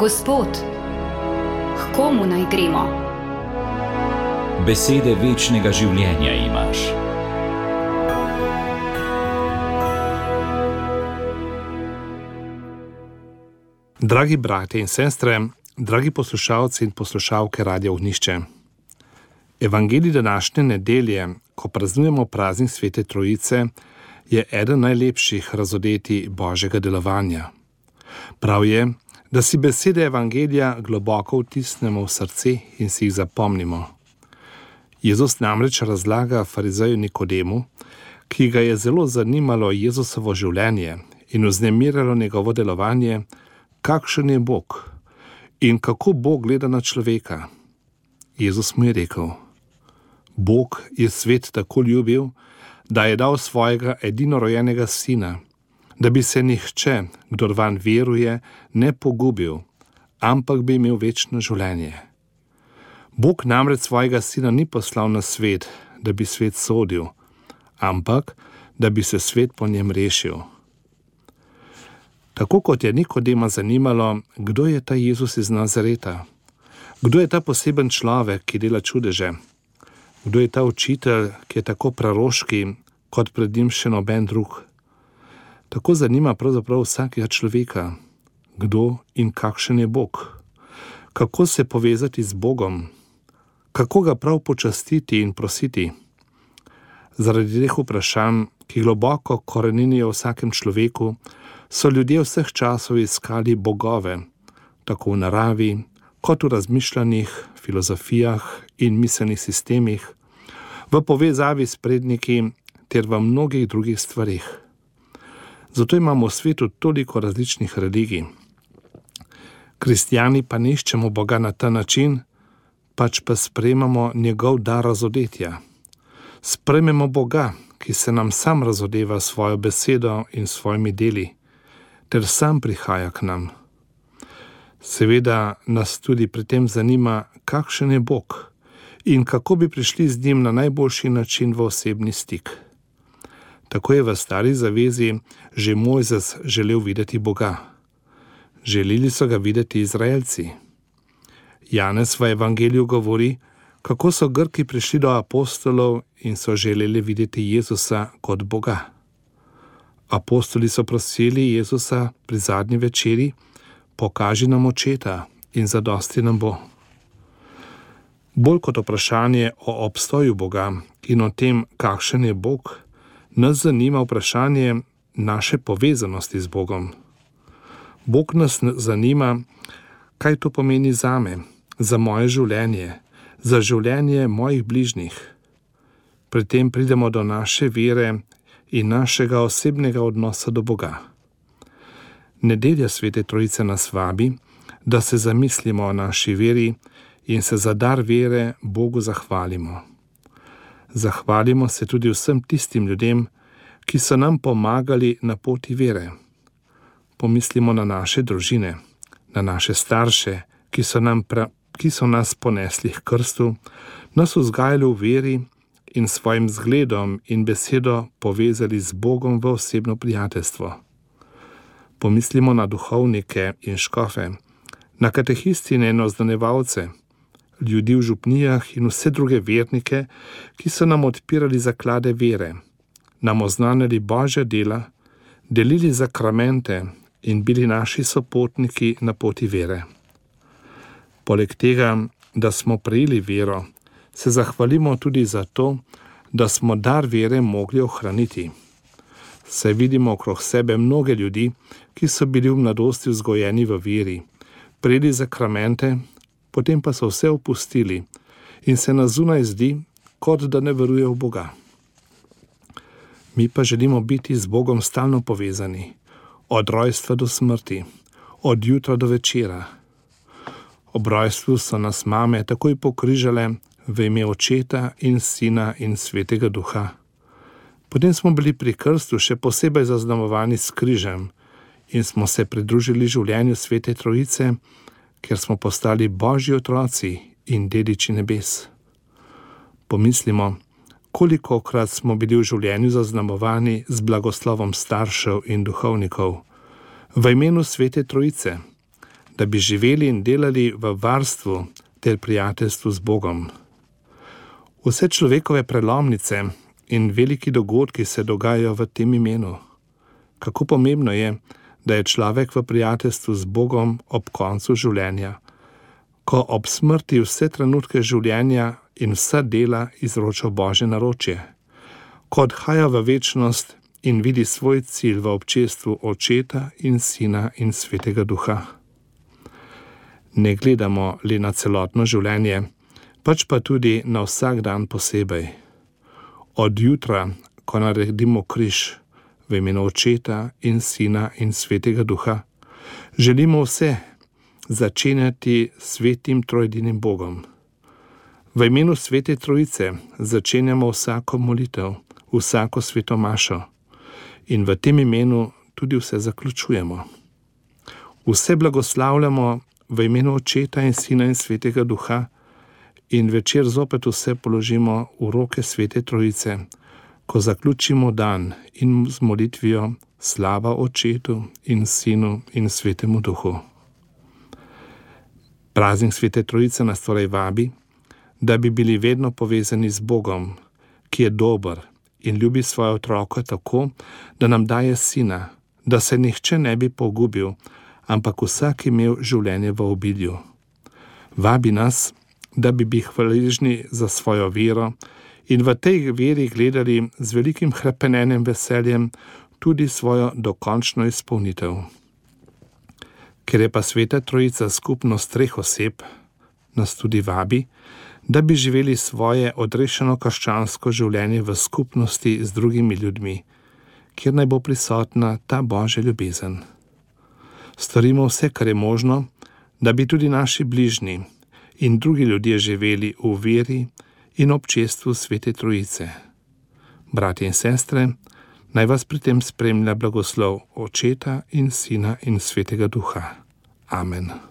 Gospod, k komu naj gremo? Besede večnega življenja imaš. Dragi bratje in sestre, dragi poslušalci in poslušalke Radia Ognjišče. Evangelij današnje nedelje, ko praznujemo praznik Svete Trojice, je eden najlepših razodetij Božjega delovanja. Prav je, da si besede Evangelija globoko vtisnemo v srce in si jih zapomnimo. Jezus namreč razlaga farizeju Nikodemu, ki ga je zelo zanimalo Jezusovo življenje in vznemirjalo njegovo delovanje, kakšen je Bog in kako Bog gleda na človeka. Jezus mu je rekel: Bog je svet tako ljubil, da je dal svojega edinorojenega sina, da bi se nihče, kdor vanj veruje, ne pogubil, ampak bi imel večno življenje. Bog namreč svojega sina ni poslal na svet, da bi svet sodil, ampak da bi se svet po njem rešil. Tako kot je Nikodema zanimalo, kdo je ta Jezus iz Nazareta, kdo je ta poseben človek, ki dela čudeže, kdo je ta učitelj, ki je tako praroški, kot pred njim še noben drug. Tako zanima pravzaprav vsakega človeka, kdo in kakšen je Bog, kako se povezati z Bogom, kako ga prav počastiti in prositi. Zaradi teh vprašanj, ki globoko koreninijo v vsakem človeku, so ljudje vseh časov iskali bogove, tako v naravi, kot v razmišljanjih, filozofijah in miselnih sistemih, v povezavi s predniki ter v mnogih drugih stvarih. Zato imamo v svetu toliko različnih religij. Kristjani pa ne iščemo Boga na ta način, pač pa sprejemamo njegov dar razodetja. Sprejmemo Boga, ki se nam sam razodeva svojo besedo in svojimi deli, ter sam prihaja k nam. Seveda nas tudi pri tem zanima, kakšen je Bog in kako bi prišli z njim na najboljši način v osebni stik. Tako je v Stari zavezi že Mojzes želel videti Boga. Želeli so ga videti Izraelci. Janez v Evangeliju govori, kako so Grki prišli do apostolov in so želeli videti Jezusa kot Boga. Apostoli so prosili Jezusa pri zadnji večeri: pokaži nam očeta in zadosti nam bo. Bolj kot vprašanje o obstoju Boga in o tem, kakšen je Bog, nas zanima vprašanje naše povezanosti z Bogom. Bog nas zanima, kaj to pomeni zame, za moje življenje, za življenje mojih bližnjih. Pri tem pridemo do naše vere in našega osebnega odnosa do Boga. Nedelja Svete Trojice nas vabi, da se zamislimo o naši veri in se za dar vere Bogu zahvalimo. Zahvalimo se tudi vsem tistim ljudem, ki so nam pomagali na poti vere. Pomislimo na naše družine, na naše starše, ki so nas ponesli k krstu, nas vzgajali v veri in svojim zgledom in besedo povezali z Bogom v osebno prijateljstvo. Pomislimo na duhovnike in škofe, na katehistine in oznanevalce, ljudi v župnijah in vse druge vernike, ki so nam odpirali zaklade vere, nam oznanjali Božja dela, delili zakramente in bili naši sopotniki na poti vere. Poleg tega, da smo prejeli vero, se zahvalimo tudi za to, da smo dar vere mogli ohraniti. Saj vidimo okrog sebe mnoge ljudi, ki so bili v mladosti vzgojeni v veri, prejeli zakramente, potem pa so vse opustili in se na zunaj zdi, kot da ne verujejo v Boga. Mi pa želimo biti z Bogom stalno povezani, od rojstva do smrti, od jutra do večera. Ob rojstvu so nas mame takoj pokrižale v ime Očeta in Sina in Svetega Duha. Potem smo bili pri krstu še posebej zaznamovani s križem in smo se pridružili življenju Svete Trojice, ker smo postali Božji otroci in dediči nebes. Pomislimo, kolikokrat smo bili v življenju zaznamovani z blagoslovom staršev in duhovnikov, v imenu Svete Trojice, da bi živeli in delali v varstvu ter prijateljstvu z Bogom. Vse človekove prelomnice in veliki dogodki se dogajajo v tem imenu. Kako pomembno je, da je človek v prijateljstvu z Bogom ob koncu življenja, ko ob smrti vse trenutke življenja in vsa dela izroča Božje naročje, ko odhaja v večnost in vidi svoj cilj v občestvu Očeta in Sina in Svetega Duha. Ne gledamo le na celotno življenje, pač pa tudi na vsak dan posebej. Od jutra, ko naredimo križ v imenu Očeta in Sina in Svetega Duha, želimo vse začenjati svetim trojedinim Bogom. V imenu Svete Trojice začenjamo vsako molitev, vsako sveto mašo in v tem imenu tudi vse zaključujemo. Vse blagoslavljamo v imenu Očeta in Sina in Svetega Duha in večer zopet vse položimo v roke Svete Trojice, ko zaključimo dan in z molitvijo slava Očetu in Sinu in Svetemu Duhu. Praznik Svete Trojice nas torej vabi, da bi bili vedno povezani z Bogom, ki je dober in ljubi svoje otroke tako, da nam daje Sina, da se nihče ne bi pogubil, ampak vsak imel življenje v obilju. Vabi nas, da bi bili hvaležni za svojo vero in v tej veri gledali z velikim hrepenenjem veseljem tudi svojo dokončno izpolnitev. Ker je pa Sveta Trojica skupnost treh oseb, nas tudi vabi, da bi živeli svoje odrešeno krščansko življenje v skupnosti z drugimi ljudmi, kjer naj bo prisotna ta Božja ljubezen. Storimo vse, kar je možno, da bi tudi naši bližnji in drugi ljudje živeli v veri in občestvu Svete Trojice. Bratje in sestre, naj vas pri tem spremlja blagoslov Očeta in Sina in Svetega Duha. Amen.